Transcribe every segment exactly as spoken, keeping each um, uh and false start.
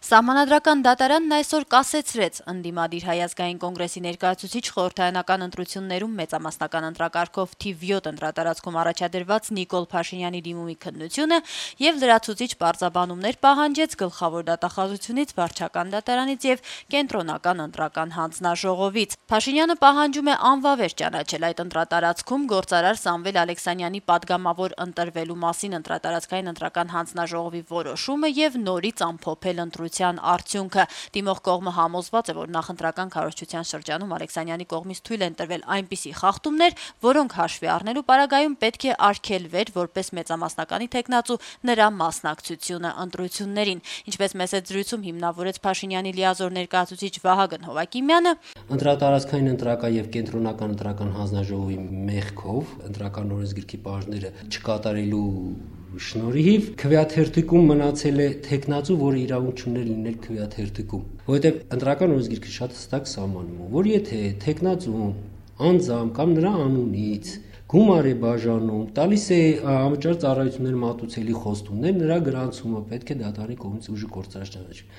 Սահմանադրական դատարանն այսօր կասեցրեց ընդդիմադիր Հայ ազգային կոնգրեսի ներկայացուցիչ խորհրդարանական ընտրություններում մեծամասնական ընտրակարգով թիվ յոթ ընտրատարածքում առաջադրված Նիկոլ Փաշինյանի դիմումի քննությունը եւ լրացուցիչ պարզաբանումներ պահանջեց գլխավոր դատախազությունից, վարչական դատարանից եւ կենտրոնական ընտրական հանձնաժողովից։ Փաշինյանը պահանջում է անվավեր ճանաչել այդ ընտրատարածքում գործարար Սամվել Ալեքսանյանի падգամավոր ընտրվելու մասին ընտրատարածքային ընտրական հանձնաժողովի որոշումը եւ նորից ամփոփել ընտրության արդյունքը։ Դիմող կողմը համոզված է, որ նախընտրական քարոզչության շրջանում Ալեքսանյանի կողմից թույլ են տրվել այնպիսի խախտումներ, որոնք հաշվի առնելու պարագայում պետք է արգելվեր որպես մեծամասնականի թեկնածու նրա մասնակցությունը ընտրություններին։ Ինչպես մեծ զրույցում հիմնավորեց Փաշինյանի լիազոր ներկայացուցիչ Վահագն Հովակիմյանը, ընտրատարածքային ընտրական եւ կենտրոնական ընտրական հանձնաժողովի մեղքով ընտրական օրենսգրքի պահանջները չկատարելու շնորհիվ քվեաթերթիկում մնացել է թեկնածու, որը իրավունք չուներ լինել քվեաթերթիկում, որովհետև ընտրական օրենսգիրքը շատ հստակ սահմանում է, որ եթե թեկնածուն անձամբ կամ նրա անունից գումար է բաժանում, տալիս է անվճար ծառայություններ մատուցելի խոստումներ, նրա գրանցումը պետք է դատարանի կողմից ուժը գործարար ճանաչվի։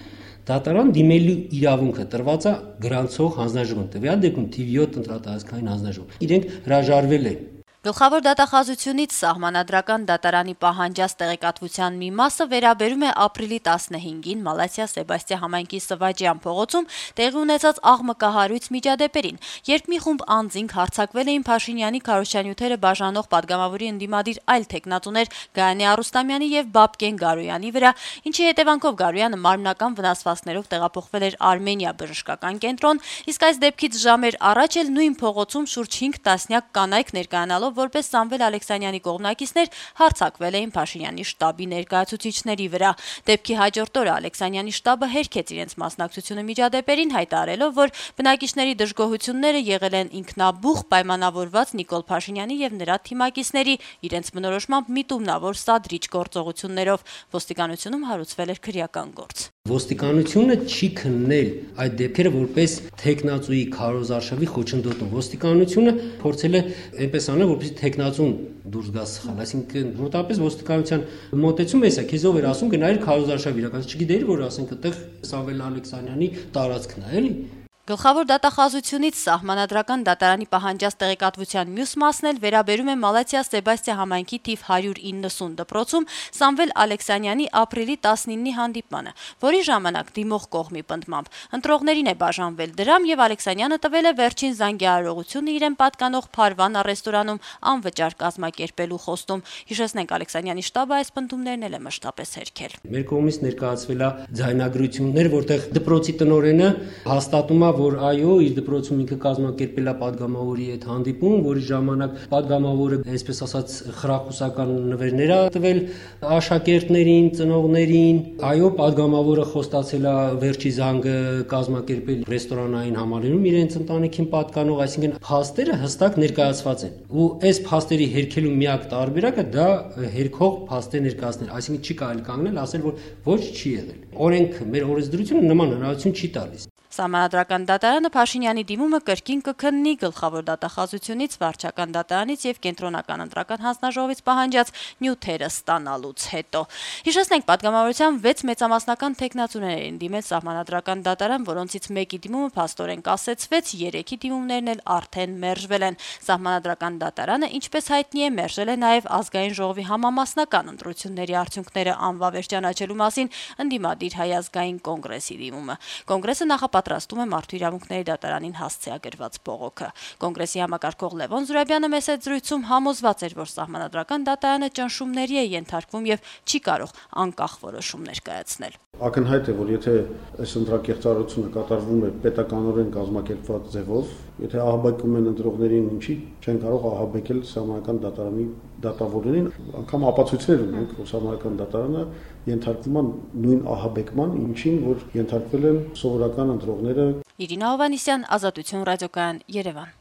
Դատարան դիմելու իրավունքը տրված է գրանցող հանձնաժողովին, տվյալ դեպքում թիվ յոթ ընտրատարածքային հանձնաժողով։ Իրենք հրաժարվել են։ Գլխավոր դատախազությունից Սահմանադրական դատարանի պահանջած տեղեկատվության մի մասը վերաբերում է ապրիլի տասնհինգին Մալաթիա Սեբաստիա համայնքի Սվաջյան փողոցում տեղի ունեցած աղմկահարույց միջադեպերին, երբ մի խումբ անձինք հարձակվել էին Փաշինյանի քարոզչանյութերը բաժանող падգամավորի ընդդիմադիր այլ թեկնածուներ Գայանե Արուստամյանի եւ Բաբկեն Գարոյանի վրա, ինչի հետևանքով Գարոյանը մարմնական վնասվածքներով տեղափոխվել էր Արմենիա բժշկական կենտրոն, իսկ այս դեպքից ժամեր առաջ էլ նույն փողոցում շուրջ հինգ տասնյակ կանայք ներկայանալով որպես Սամվել Ալեքսանյանի կողմնակիցներ հարձակվել էին Փաշինյանի շտաբի ներկայացուցիչների վրա։ Դեպքի հաջորդ օրը Ալեքսանյանի շտաբը հերքեց իրենց մասնակցությունը միջադեպերին, հայտարարելով, որ բնակիչների դժգոհությունները եղել են ինքնաբուխ պայմանավորված Նիկոլ Փաշինյանի եւ նրա թիմակիցների իրենց բնորոշմամբ միտումնավոր սադրիչ գործողություններով։ Ոստիկանությունում հարուցվել էր քրեական գործ։ Ոստիկանությունը չի քննել այդ դեպքերը որպես թեկնածուի քարոզարշավի խոչընդոտում։ Ոստիկանությունը փորձել է այնպես անել, որպեսզի թեկնածուն դուրս գա սխալ, այսինքն մոտավորապես ոստիկանության մոտեցումը էսա, քեզ ով էր ասում գնայր քարոզարշավ իրականացնել, չգիտեիր, որ ասենք այդտեղ Սամվել Ալեքսանյանի տարածքն է, էլի։ Գլխավոր դատախազությունից Սահմանադրական դատարանի պահանջած տեղեկատվության մյուս մասն էլ վերաբերում է Մալաթիա Սեբաստիա համայնքի թիվ հարյուր իննսուն դպրոցում Սամվել Ալեքսանյանի ապրիլի տասնինի հանդիպմանը, որի ժամանակ դիմող կողմի պնդմամբ ընտրողներին է բաժանվել դրամ եւ Ալեքսանյանը տվել է վերջին զանգահարողությունը իրեն պատկանող Փարվանա ռեստորանում անվճար կազմակերպելու խոստում։ Հիշեցնենք, Ալեքսանյանի շտաբը այս պնդումներն էլ է մշտապես հերքել։ Մեր կողմից ներկայացվել է ձայնագրություններ, որտեղ դպրոցի տնօրենը հաստատում է, որ այո, իր դպրոցում ինքը կազմակերպել է падգամավորի հետ հանդիպում, որի ժամանակ падգամավորը, այսպես ասած, խրախուսական նվերներ է տվել աշակերտներին, ծնողներին։ Այո, падգամավորը խոստացել է վերջի զանգը կազմակերպել ռեստորանային համալիրում իրենց ընտանիքին պատկանող, այսինքն փաստերը հստակ ներկայացված են։ Ու այս փաստերի հերքելու միակ տարբերակը դա հերքող փաստեր ներկայացնել, այսինքն չի կարելի կանգնել, ասել, որ ոչ չի եղել։ Օրենքը, մեր օրենսդրությունը նման հնարավորություն չի տալիս։ Սահմանադրական դատարանը Փաշինյանի դիմումը կրկին կքննի գլխավոր դատախազությունից, վարչական դատարանից եւ կենտրոնական ընտրական հանձնաժողովից պահանջած նյութերը ստանալուց հետո։ Հիշեցնենք, падգամավորության վեց մեծամասնական թեկնածուներ էին դիմել Սահմանադրական դատարան, որոնցից մեկի դիմումը փաստորեն կասեցվեց, երեքի դիմումներն էլ արդեն մերժվել են։ Սահմանադրական դատարանը, ինչպես հայտնի է, մերժել է նաեւ ազգային ժողովի համամասնական ընտրությունների արդյունքները անվավեր ճանաչելու մասին ընդդիմադիր Հայ ազգային կոնգրեսի դիմումը։ Կոնգրեսը նախապատրաստում Պատրաստում է Մարդու իրավունքների դատարանին հասցեագրված բողոքը։ Կոնգրեսի համակարգող Լևոն Զուրաբյանը մեծ զրույցում համոզված էր, որ Սահմանադրական դատարանը ճնշումների է ենթարկվում եւ չի կարող անկախ որոշումներ կայացնել։ Ակնհայտ է, որ եթե այս ընտրակեղծարարությունը կատարվում է պետականորեն կազմակերպված ձևով, եթե ահաբեկում են ընտրողներին, ինչի չեն կարող ահաբեկել Սահմանադրական դատարանի դատավորներին, անգամ ապացույցներ ունենք, որ Սահմանադրական դատարանը ենթարկվում է նույն ահաբեկման, ինչին որ ենթարկվել են սովորական ընտրողները։ Իրինա Հովանիսյան, Ազատություն ռադիոկայան, Երևան։